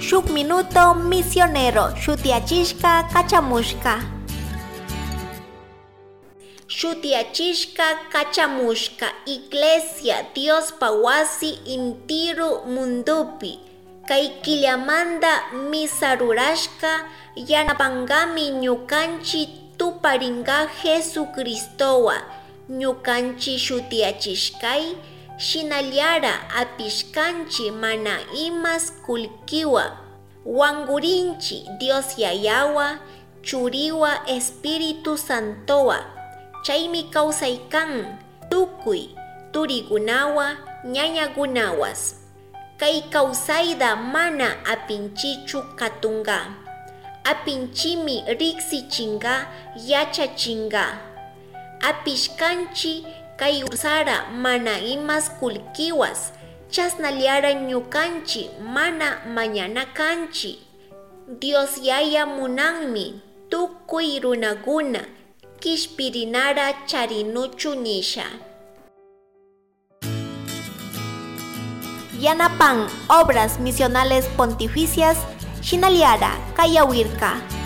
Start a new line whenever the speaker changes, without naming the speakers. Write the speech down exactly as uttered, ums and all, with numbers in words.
Shuk Minuto Misionero shutiyachishka kachamushka. Shutiyachishka kachamushka Iglesia Diospa wasi intiru mundupi. Kay killamanda misa rurashka yanapangami ñukanchi tuparinga Jesucristowa ñukanchi shutiyachishkay shinallara apishkanchi mana imas kullkiwa wangurinchi Dios Yayawa Churiwa Espíritu Santowa chaymi kawsaykan tukuy turikunawa ñañakunawas. Kay kawsayta mana apinchichu katunga. Apinchimi riksichinga yachachinga. Apishkanchi kay ursara mana imas kullkiwas chasnallara ñukanchi mana mañana kanchi. Dios Yaya munanmi tukuy runakuna kishpirinara charinuchu nisha. Yanapan Obras Misionales Pontificias Shinaliara Kayawirka.